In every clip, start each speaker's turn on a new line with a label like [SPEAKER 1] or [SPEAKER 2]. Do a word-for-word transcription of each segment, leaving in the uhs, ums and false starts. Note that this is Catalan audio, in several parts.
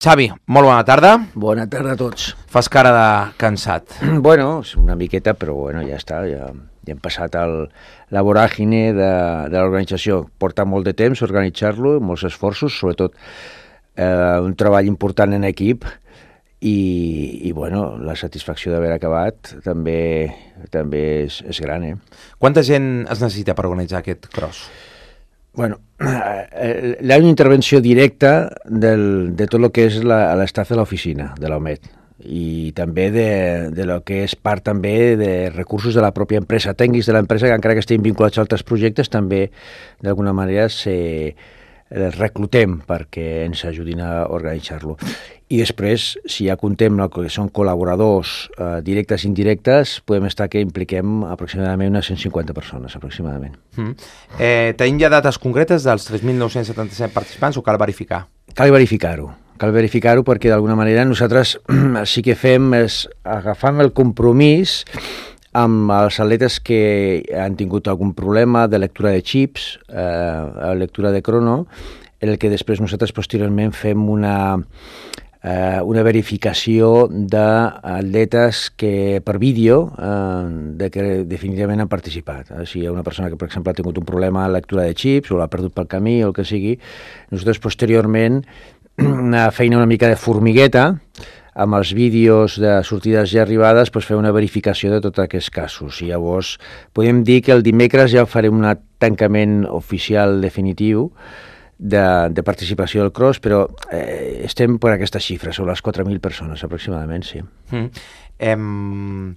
[SPEAKER 1] Xavi, molt bona tarda.
[SPEAKER 2] Bona tarda a tots.
[SPEAKER 1] Fas cara de cansat.
[SPEAKER 2] Bueno, una miqueta, però bueno, ja està, ja, ja hem passat el, la voràgine de, de l'organització. Porta molt de temps organitzar-lo, molts esforços, sobretot eh, un treball important en equip i, i bueno, la satisfacció d'haver acabat també, també és, és gran, eh?
[SPEAKER 1] Quanta gent es necessita per organitzar aquest cross?
[SPEAKER 2] Bueno, eh, hi ha una intervenció directa del, de tot el que és l'estaf de l'oficina, de l'O M E D, i també de, de lo que és part també de recursos de la pròpia empresa, tècnics de l'empresa, que encara que estiguin vinculats a altres projectes, també d'alguna manera se reclutem perquè ens ajudin a organitzar-lo. I després, si ja contem el que són col·laboradors eh, directes i indirectes, podem estar que impliquem aproximadament unes cent cinquanta persones, aproximadament.
[SPEAKER 1] Mm. Eh, tenim ja dates concretes dels tres mil nou-cents setanta-set participants o cal verificar?
[SPEAKER 2] Cal verificar-ho. Cal verificar-ho perquè d'alguna manera nosaltres sí que fem és agafam el compromís amb els atletes que han tingut algun problema de lectura de xips, eh, lectura de crono, en el que després nosaltres posteriorment fem una... Uh, una verificació d'atletes que per vídeo uh, de que definitivament han participat. Uh, si hi ha una persona que, per exemple, ha tingut un problema a la lectura de xips o l'ha perdut pel camí o el que sigui, nosaltres posteriorment una feina una mica de formigueta amb els vídeos de sortides i arribades, doncs fer una verificació de tots aquests casos. I llavors podem dir que el dimecres ja farem un tancament oficial definitiu De, de participació del cross, però eh, estem per aquesta xifra, sobre les quatre mil persones aproximadament, sí.
[SPEAKER 1] Mm. Em,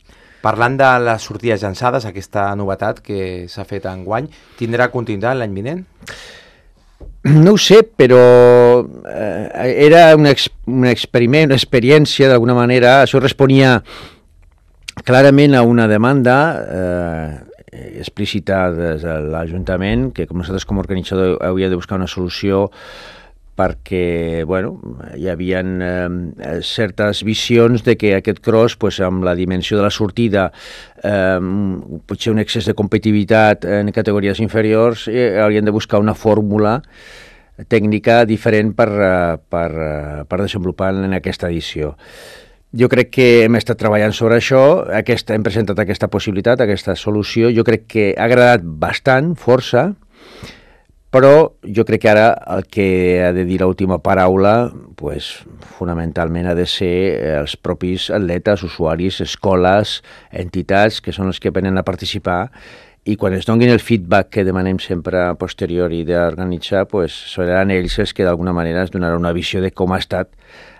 [SPEAKER 1] parlant de les sortides llançades, aquesta novetat que s'ha fet enguany, tindrà continuïtat l'any vinent?
[SPEAKER 2] No ho sé, però eh, era un, ex, un experiment, una experiència d'alguna manera, això responia clarament a una demanda eh, explícita des de l'Ajuntament, que com nosaltres com a organitzador hauria de buscar una solució perquè, bueno, hi havia eh, certes visions de que aquest cross, pues, amb la dimensió de la sortida, eh, potser un excés de competitivitat en categories inferiors, eh, haurien de buscar una fórmula tècnica diferent per, per, per desenvolupar en aquesta edició. Jo crec que hem estat treballant sobre això, aquesta, hem presentat aquesta possibilitat, aquesta solució, jo crec que ha agradat bastant, força, però jo crec que ara el que ha de dir l'última paraula, pues, fonamentalment ha de ser els propis atletes, usuaris, escoles, entitats, que són els que venen a participar, i quan es donin el feedback que demanem sempre a posteriori d'organitzar, pues, seran ells els que d'alguna manera es donaran una visió de com ha estat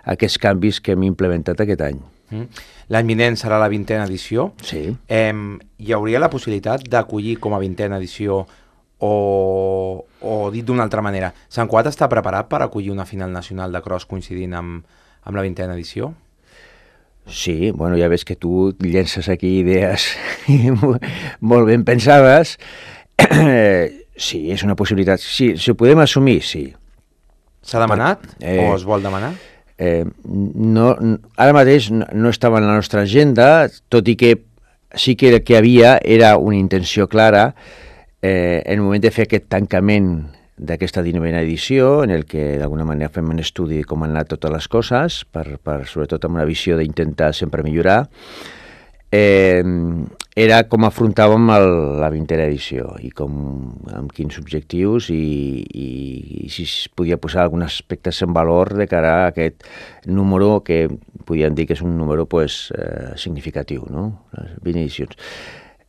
[SPEAKER 2] aquests canvis que hem implementat aquest any.
[SPEAKER 1] Mm. L'any vinent serà la vintena edició.
[SPEAKER 2] Sí.
[SPEAKER 1] Eh, hi hauria la possibilitat d'acollir com a vintena edició o, o dit d'una altra manera, Sant Cugat està preparat per acollir una final nacional de cross coincidint amb, amb la vintena edició?
[SPEAKER 2] Sí, bueno, ja ves que tu llences aquí idees molt ben pensades. Sí, és una possibilitat. Sí, si ho podem assumir, sí.
[SPEAKER 1] S'ha demanat eh, o es vol demanar?
[SPEAKER 2] Eh, no, ara mateix no, no estava en la nostra agenda, tot i que sí que el que havia era una intenció clara eh, en el moment de fer aquest tancament d'aquesta dinovena edició, en el que d'alguna manera fem un estudi de com han anat totes les coses, per, per, sobretot amb una visió d'intentar sempre millorar, eh, era com afrontàvem el, la vintena edició i com, amb quins objectius i, i, i si es podia posar alguns aspectes en valor de cara a aquest número que podíem dir que és un número pues, eh, significatiu, no? Les vint edicions.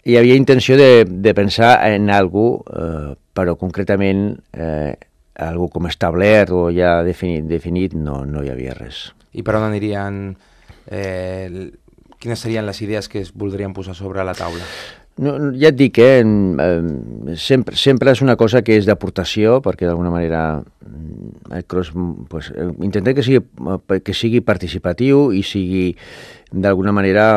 [SPEAKER 2] Hi havia intenció de, de pensar en alguna cosa, eh, però concretament eh, algo com establert o ja definit, definit no, no hi havia res.
[SPEAKER 1] I per on anirien, eh, quines serien les idees que es voldrien posar sobre la taula?
[SPEAKER 2] No, ja et dic, eh, eh, sempre, sempre és una cosa que és d'aportació, perquè d'alguna manera el cross, pues, intentem que sigui, que sigui participatiu i sigui d'alguna manera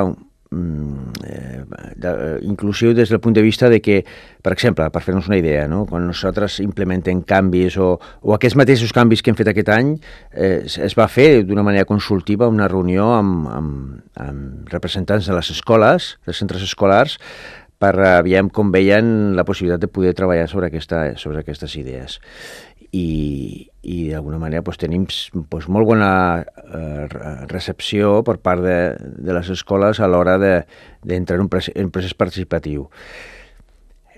[SPEAKER 2] Eh, de, inclusiu des del punt de vista de que, per exemple, per fer-nos una idea, no? Quan nosaltres implementem canvis o, o aquests mateixos canvis que hem fet aquest any eh, es va fer d'una manera consultiva una reunió amb, amb, amb representants de les escoles, dels centres escolars, per aviam com veien la possibilitat de poder treballar sobre, aquesta, sobre aquestes idees. I, i d'alguna manera pues, tenim pues, molt bona eh, recepció per part de, de les escoles a l'hora d'entrar de, en un procés, en procés participatiu.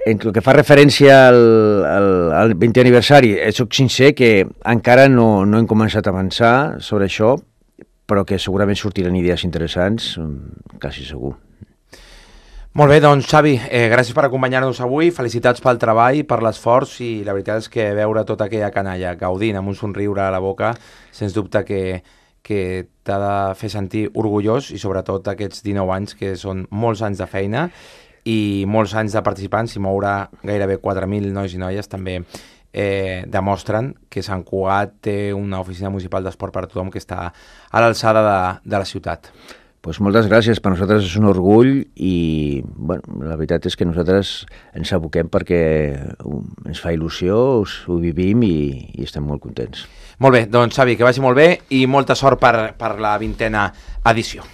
[SPEAKER 2] En el que fa referència al, al, al vintè aniversari, soc sincer que encara no, no hem començat a avançar sobre això, però que segurament sortiran idees interessants, quasi segur.
[SPEAKER 1] Molt bé, doncs Xavi, eh, gràcies per acompanyar-nos avui, felicitats pel treball, per l'esforç, i la veritat és que veure tota aquella canalla gaudint amb un somriure a la boca, sens dubte que, que t'ha de fer sentir orgullós, i sobretot aquests dinou anys que són molts anys de feina i molts anys de participants, i moure gairebé quatre mil nois i noies també eh, demostren que Sant Cugat té una oficina municipal d'esport per a tothom que està a l'alçada de, de la ciutat.
[SPEAKER 2] Pues moltes gràcies, per nosaltres és un orgull i bueno, la veritat és que nosaltres ens aboquem perquè ens fa il·lusió, ho vivim i, i estem molt contents.
[SPEAKER 1] Molt bé, doncs Xavi, que vagi molt bé i molta sort per, per la vintena edició.